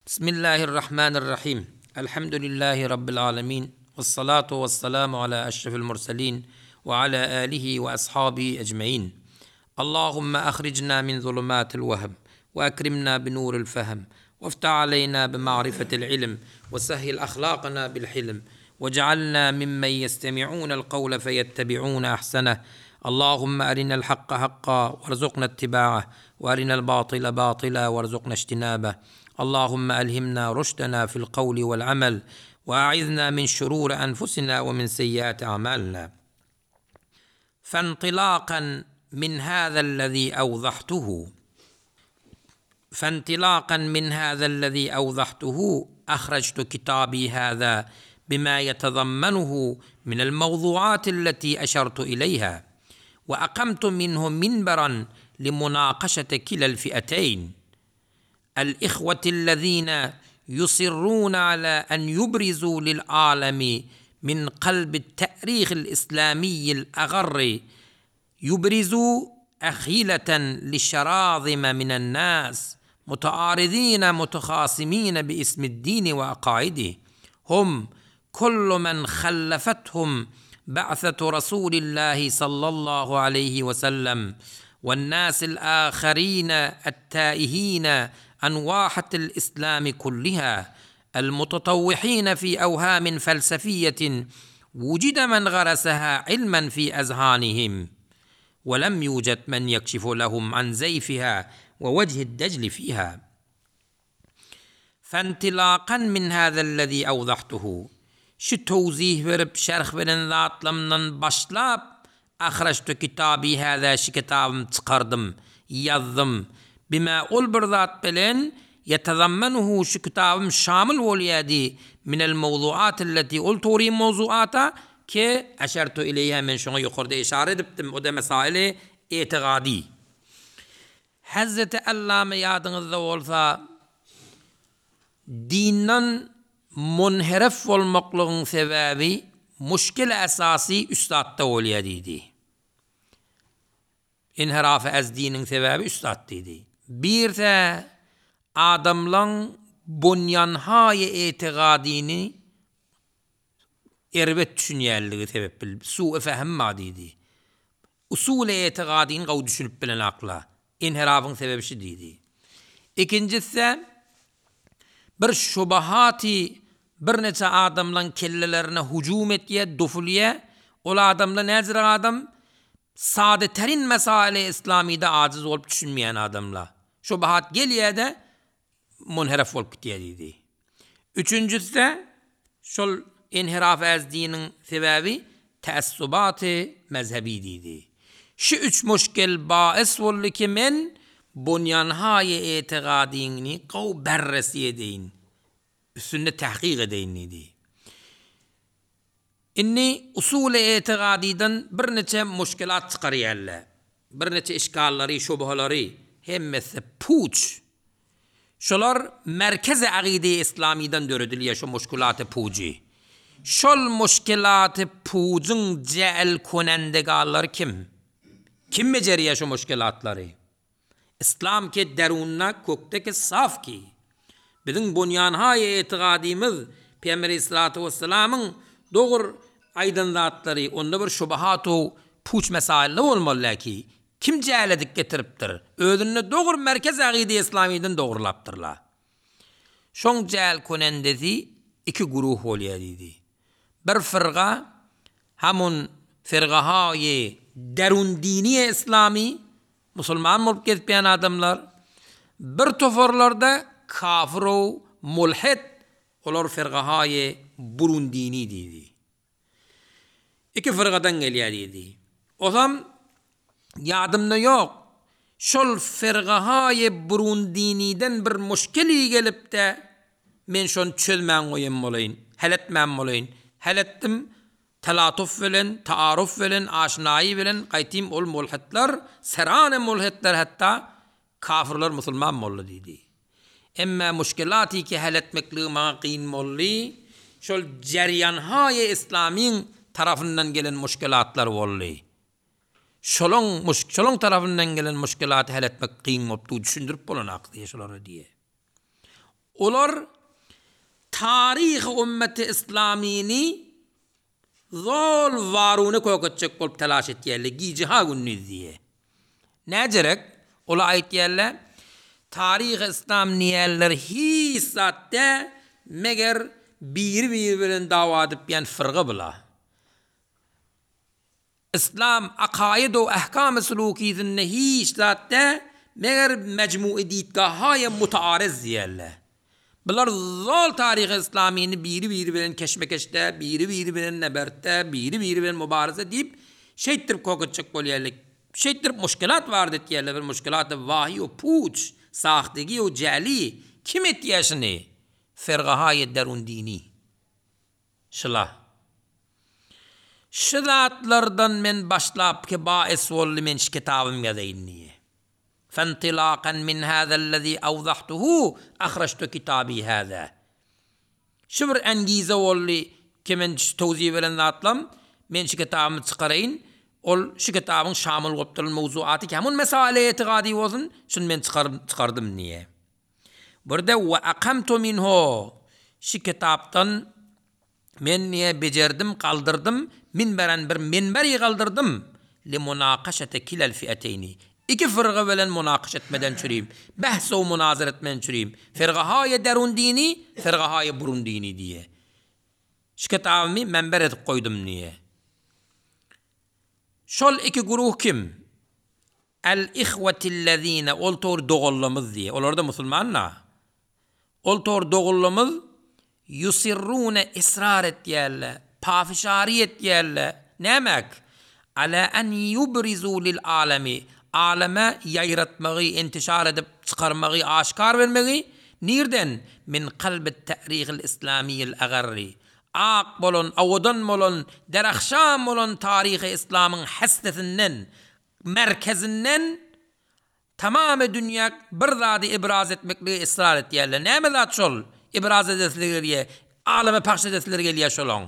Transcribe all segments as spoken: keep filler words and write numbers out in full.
بسم الله الرحمن الرحيم الحمد لله رب العالمين والصلاة والسلام على أشرف المرسلين وعلى آله وأصحابه أجمعين اللهم أخرجنا من ظلمات الوهم وأكرمنا بنور الفهم وافتح علينا بمعرفة العلم وسهل أخلاقنا بالحلم واجعلنا ممن يستمعون القول فيتبعون أحسنه اللهم أرنا الحق حقا وارزقنا اتباعه وأرنا الباطل باطلا وارزقنا اجتنابه اللهم ألهمنا رشدنا في القول والعمل وأعذنا من شرور أنفسنا ومن سيئات أعمالنا فانطلاقا من هذا الذي أوضحته فانطلاقا من هذا الذي أوضحته أخرجت كتابي هذا بما يتضمنه من الموضوعات التي أشرت إليها وأقمت منه منبرا لمناقشة كلا الفئتين الإخوة الذين يصرون على أن يبرزوا للعالم من قلب التاريخ الإسلامي الأغر يبرزوا أخيلة لشراذم من الناس متعارضين متخاصمين باسم الدين وعقائده هم كل من خلفتهم بعثة رسول الله صلى الله عليه وسلم والناس الآخرين التائهين عن واحة الإسلام كلها المتطوحين في أوهام فلسفية وجد من غرسها علما في أذهانهم ولم يوجد من يكشف لهم عن زيفها ووجه الدجل فيها فانطلاقا من هذا الذي أوضحته şu towzih berip şerh beren zatlarymdan başlap أخرجت كتابي هذا şu kitabym çykardym ýazdym بما ol bir zat bilen يتضمنه şu kitabym şamil bolýardy من الموضوعات التي ol tory mowzuata ki أشرت إليها men şoňa ýokarda işaret edipdim o da mesaili itiqadi Hazreti Allame ýadyňyzda bolsa dinden munherif bolmaklygyň sebäbi muşkil esasy üç zatda bolýar diýdi. Inhiraf az diniň sebäbi üç zat diýdi. Birse adamlaň bunyanhaý itiqadini erbet düşünýärligi sebäp bil su fehm ma diýdi. Usul itiqadini gaw düşünip bilen akla. İnhirafyň sebäbi şu diýdi. Ikinjisi bir şubahati bir neçe adamlaň kellelerine hüjüm etýär, dufulýar. Ol adamlar näzir adam sade terin mesaili İslamide aciz olup düşünmeýän adamlar. Şubahat gelýär de munherif bolup gitýär diýdi. Üçünjisi şol inhiraf az diniň sebäbi taassubaty mezhebi diýdi. Şu üç muşkil bais boldy ki men bunyanhaý itiqadini gaw berresi edeýin. Üstünde tahkik edeýin diýdi. Inni usul itiqadiden bir neçe muşkilat çykarýarlar. Bir neçe işgallary, şubhalary hemmesi puç. Şolar merkez akide İslamiden döredilýär şu muşkilaty puji. Şol muşkilaty pujuň cel konendegallar kim? Kim bejerýär şu muşkilatlary? İslam ke derunna kökdeki saf ki. Biziň bunyanhaý itiqadymyz Peygamber Aleyhissalatu vesselamyň dogry aýdan zatlary onda bir şubahatu puç mesailli bolmaly ki kim celedik getiripdir? Özünde dogry merkez akide İslamiden dogrulapdyrlar. Şoň cel konendesi iki guruh bolýar diýdi. Bir firga hamun firgahaý derun dini İslami musulman bolup gezipýän adamlar bir tofarlarda kafir mulhid olar firgahaý burun dini diýdi. Iki firgadan gelýär diýdi. Osam ýadymda ýok. Şol firgahaý burun diniden bir muşkili gelip de men şonu çözmän goýum bolaýyn, hal etmän bolaýyn. Hal etdim telatuf bilen, taaruf bilen, aşnaýy bilen gaýtym ol mulhidler, serane mulhidler hatta kafirler musulman boldy diýdi. Emma muşkilaty ki hal etmekligi maňa kyn boldy. Şol jeryanhaý İslamyň tarafyndan gelen muşkilatlar boldy. Şolon muş şolon tarafyndan gelen muşkilaty hal etmek kyn boldy, düşündirip bolan akdy şolara diýe. Olar taryhy ümmeti islamyny zol waruny kök etjek bolup telaş etýärler, gije ha gündiz diýe. Näjerek? Ola aýtýarlar, taryhy islam niýerler hiç zatda meger biri-biri bilen dawa edip ýan fyrga bula. Islam akaid we ahkam sulukisinde hiç zatda meger mecmu'i ditgahaýa mutaarız diýerler. Bular zol taryhy islamyny biri-biri bilen keşmekeşde, biri-biri bilen nebertde, biri-biri bilen mübareze diýip, şeýtdirip kök etjek bolýarlar. Şeýtdirip muşkilat bar diýerler, bir muşkilat wahi we puç, sahtegi we jali. Kim etýär şuny? Fergahaýy derun dini. Şıla. Şu zatlardan men başlap ki bais boldy men şu kitabym ýazaýyn diýe. فانطلاقا من هذا الذي أوضحته أخرجت كتابي هذا. Şu bir engize boldy ki men şu towziý bilen zatlam, men şu kitabymy çykaraýyn, ol şu kitabyň şamil bolup duran mowzuaty ki hamun mesale itiqadi bolsun, şunu men çykarym, çykardym niye. Burada ve akamtu minhu şu kitapdan men niye becerdim, kaldırdım, minberen bir minberi kaldırdım. Limunaqaşete kilel fi'eteyni. İki fırga bilen münakaş etmeden çürüyüm. Behs o münazara etmeden çürüyüm. Firgahaye derun dini, firgahaye burun dini diye. Şu kitabımı menber edip koydum niye. Şol iki guruh kim? El ihvetillezine, ol tor doğullamız diye. Olar da musulmanla. Ol tor doğullamız yusirrune ısrar etýärler, pafişari etýärler. Nämek? Ala en yubrizu lil alemi. Aleme ýaýratmagy, intişar edip çykarmagy, aşkar bermegi nirden? Min kalbit ta'rihil islamiyil agarri. Ak bolon, awadan bolon, derahşam bolon tarihi İslam'ın hastesinden, merkezinden tamamy dünýä bir zady ibraz etmekli ısrar etýärler. Näme zat şol? İbraz edesleri gelýär, aleme pahş edesleri gelýär şolaň.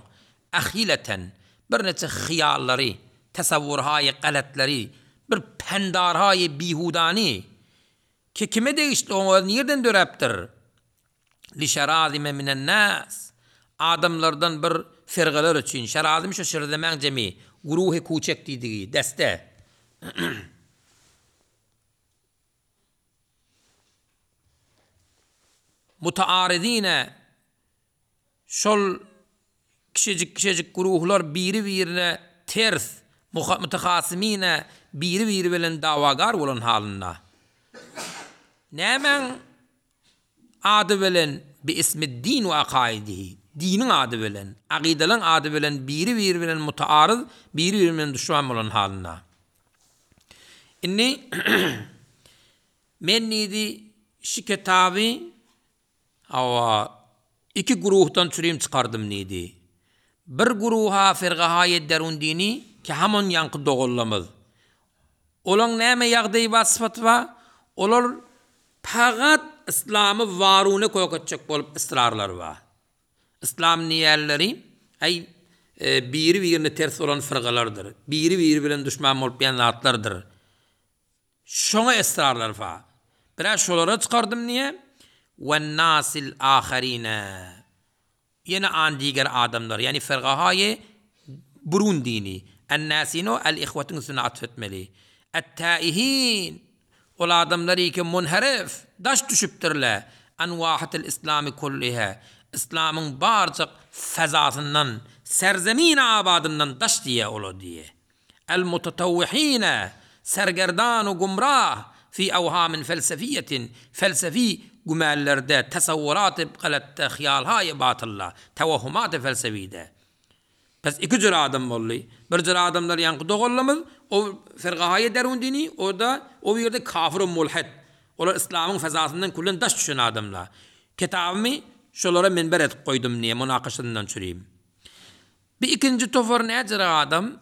Ahileten bir neçe hyýallary, tasawwurhaýy galatlary, bir pendarhaýy bihudani ki kime degişli oňa nirden döräpdir? Li şerazime minen nas. Adamlardan bir firgalar üçin şerazim şu şirzemäň jemi, guruhy kuçek diýdigi, deste. Mutaaridine şol kişicik kişicik guruhlar biri-birine ters, mütehasimine biri-biri bilen davagar bolan halynda. Nämäň ady bilen bi ismi din we akaidihi, diniň ady bilen, akidalaryň ady bilen biri-biri bilen mutaarız, biri-biri bilen düşman bolan halynda. Inni men nidi şu kitaby awa iki guruhdan çürüyüm çıkardım nidi. Bir guruha firgahaye derun dini ki hamon yankı doğullamız. Olan näme ýagdaýy bar, sypaty bar, olar pagat İslam'ı varune kök etjek bolup ısrarlar bar. İslam niýerleri ay e, biri birine ters olan firgalardyr. Biri biri bilen düşman bolup ýan zatlardyr. Şoňa ısrarlar bar. Biraz şolara çıkardım niye? Ve nasil aharine. Yine an diğer adamlar yani firgahaye burun dini. En-nasino el-ihvetin üstüne atfetmeli. Et-taihin. Ol adamlar ki munharif, daş düşüpdirler. Envahatil İslami kulliha. İslam'ın barcık fezasından, serzemin abadından daş diye ola diye. El-mutatavvihine, sergerdan u gumrah, fi evhamin felsefiyetin, felsefi gümellerde, tasavvurat-ı galatta, hıyalhay batılla, tevahhumat-ı felsefide. Pes iki cür adam boldy. Bir cür adamlar yankı doğullamız, o firgahaye derun dini, o da o yerde kafir mulhid. Olar İslam'ın fezasından kullen daş düşen adamlar. Kitabımı şolara minber edip koydum niye münakaşasından çürüyüm. Bir ikinci topar ne cür adam?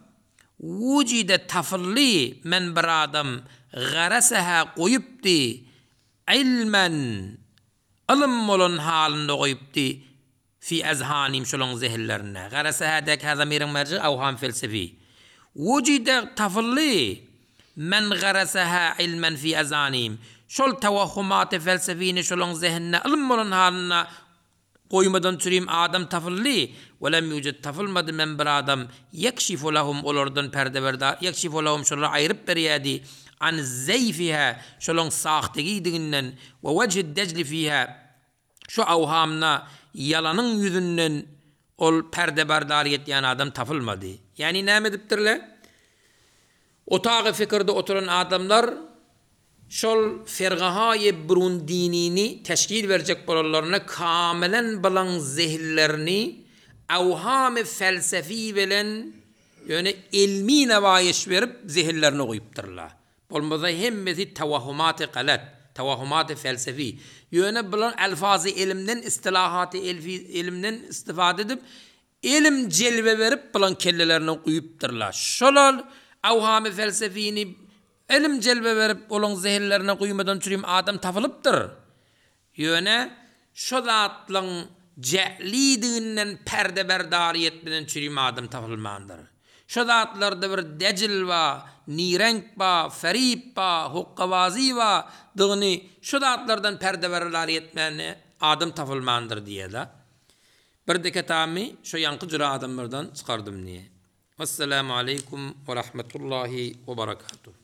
Vucide tafılli men bir adam garasaha koyupti ilmen ılım olan halinde koyupti fi azhanim şolun zehirlerine. Garasaha dek hazamirin merci evham felsefi. Vucide tafılli men garasaha ilmen fi azhanim. Şol tawahhumat-y felsefini şolaň zehnine ylym bolan halynda goýmadan çürim adam tapyldy. We lem ýujet tapylmady men bir adam ýekşifu lahum olardan perde berdar ýekşifu lahum şolara aýryp berýärdi an zeýfiha şolaň sahtegidiginden we wejhi dejli fiha şu awhamna ýalanyň ýüzünden ol perde berdar ýetýän adam tapylmady. Ýani näme edipdirler? Otagy fikirde oturan adamlar şol fergahaýy burun dinini teşkil berjek bolanlaryna kamelen bilen zehillerini awhamy felsefi bilen ýöne ilmi newaýiş berip zehillerini goýupdyrlar. Bolmasa hemmesi tawahhumaty galat, tawahhumaty felsefi. Ýöne bilen alfazy ilimden istilahaty ilimden istifade edip ilim jelbe berip bilen kellelerini goýupdyrlar. Şolar awhamy felsefini ilim jelbe berip olaň zehillerine guýmadan çürim adam tapylypdyr. Ýöne şo zatlaň jälidiginden perde berdariýet bilen çürim adam tapylmandyr. Şo zatlarda bir dejil ba, nirenk ba, ferip ba, hukkawazi ba, dygyny şo zatlardan perde berdariýet bilen adam tapylmandyr diýe-de. Bir deketamy şo ýanky jüre adamlardan çykardym diýe. Assalamu aleýkum we rahmetullahi we berekatuh.